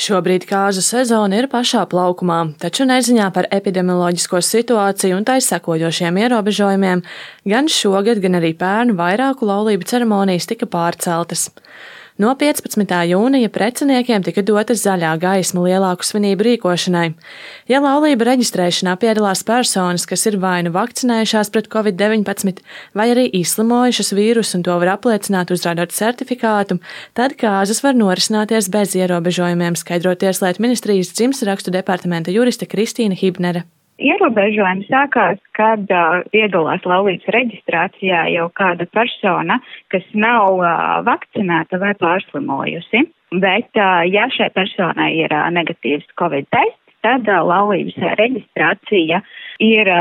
Šobrīd kāzu sezona ir pašā plaukumā, taču neziņā par epidemioloģisko situāciju un tai sekojošiem ierobežojumiem gan šogad, gan arī pērn vairāku laulību ceremonijas tika pārceltas. No 15. jūnija preciniekiem tika dota zaļā gaisma lielāku svinību rīkošanai. Ja laulību reģistrēšanā piedalās personas, kas ir vai nu vakcinējušās pret Covid-19, vai arī izslimojušas vīrusu un to var apliecināt uzrādot certifikātu, tad kāzas var norisināties bez ierobežojumiem, skaidro Tieslietu ministrijas dzimstrakstu departamenta juriste Kristīna Hibnere. Ierobežojumi sākās, kad piedalās laulības reģistrācijā jau kāda persona, kas nav vakcinēta vai pārslimojusi. Bet, ja šai personai ir negatīvs Covid tests, tad laulības reģistrācija ir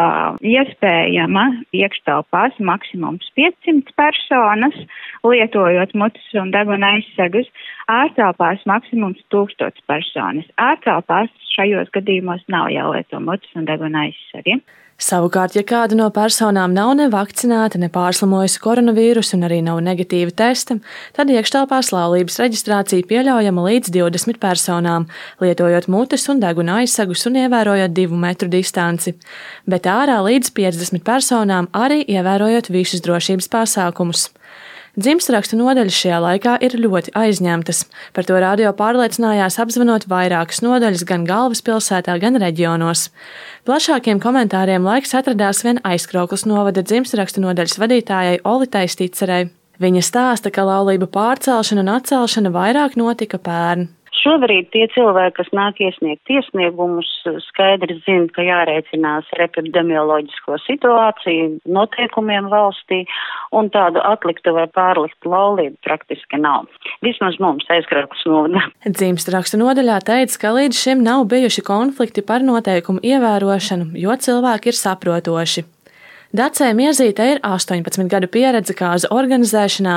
iespējama iekštelpās maksimums 500 personas, lietojot mutes un deguna aizsegus, ārtelpās maksimums 1000 personas. Ārtelpās šajos gadījumos nav jālieto mutes un deguna aizsegi. Savukārt, ja kāda no personām nav ne vakcinēta, ne pārslimojusi koronavīrusu un arī nav negatīva testa, tad iekštelpās laulības reģistrācija pieļaujama līdz 20 personām, lietojot mutes un deguna aizsegus un ievērojot 2 metru distanci, bet ārā līdz 50 personām arī ievērojot visus drošības pasākumus. Dzimstrakstu nodaļas šajā laikā ir ļoti aizņemtas. Par to radio pārliecinājās apzvanot vairākas nodaļas gan galvaspilsētā, gan reģionos. Plašākiem komentāriem laiks atradās vien Aizkraukles novada dzimstrakstu nodaļas vadītājai Olitai Sticerei. Viņa stāsta, ka laulību pārcelšana un atcelšana vairāk notika pērn. Šobrīd tie cilvēki, kas nāk iesniegt iesniegumus, skaidri zina, ka jārēķinās ar epidemioloģisko situāciju, noteikumiem valstī, un tādu atliktu vai pārliktu laulību praktiski nav. Vismaz mums Aizkraukles novadā. Dzimstrakstu nodaļā teica, ka līdz šim nav bijuši konflikti par noteikumu ievērošanu, jo cilvēki ir saprotoši. Dacei Miezītei ir 18 gadu pieredze kāzu organizēšanā.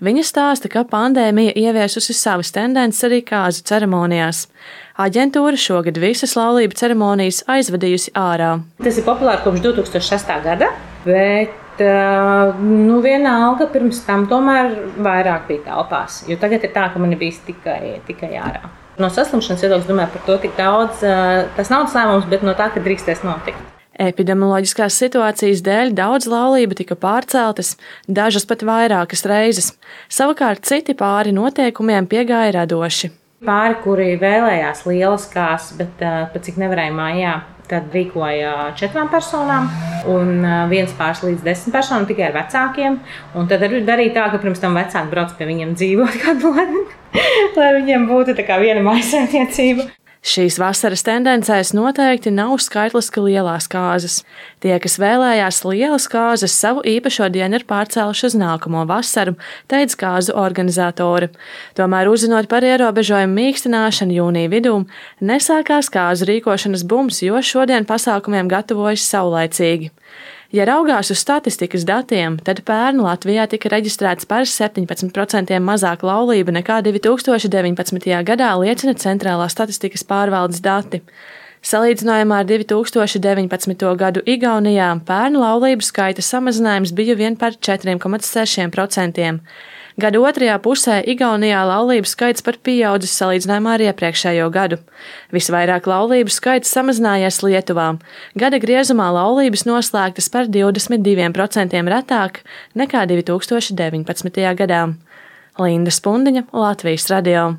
Viņa stāsta, ka pandēmija ieviesusi savas tendences arī kāzu ceremonijās. Aģentūra šogad visas laulību ceremonijas aizvadījusi ārā. Tas ir populāri kopš 2006. gada, bet vienalga pirms tam tomēr vairāk bija telpās, jo tagad ir tā, ka man ir bijis tikai ārā. No saslimšanas viedokļa domāju par to tik daudz, tas nav lēmums, bet no tā, ka drīkstēs notikt. Epidemioloģiskās situācijas dēļ daudz laulību tika pārceltas, dažas pat vairākas reizes. Savukārt citi pāri noteikumiem piegāja radoši. Pāri, kuri vēlējās lielas kāzas, bet pat cik nevarēja mājā, tad rīkoja 4 personām un viens pāris līdz 10 personām tikai ar vecākiem. Un tad darīja tā, ka pirms tam vecāki brauc pie viņiem dzīvot kādu laiku, lai viņiem būtu tā kā viena mājsaimniecība. Šīs vasaras tendencēs noteikti nav skaitliski lielās kāzas. Tie, kas vēlējās lielas kāzas, savu īpašo dienu ir pārcēluši uz nākamo vasaru, teica kāzu organizatori. Tomēr, uzzinot par ierobežojumu mīkstināšanu jūnija vidū, nesākās kāzu rīkošanas bums, jo šodien pasākumiem gatavojas saulaicīgi. Ja raugās uz statistikas datiem, tad pērn Latvijā tika reģistrēts par 17% mazāk laulību nekā 2019. gadā liecina Centrālās statistikas pārvaldes dati. Salīdzinājumā ar 2019. gadu Igaunijā pērn laulību skaita samazinājums bija vien par 4,6%. Gada otrajā pusē Igaunijā laulību skaits par pieaudzis salīdzinājumā ar iepriekšējo gadu. Visvairāk laulību skaits samazinājies Lietuvā. Gada griezumā laulības noslēgtas par 22% retāk nekā 2019. gadā. Linda Spundiņa, Latvijas radio.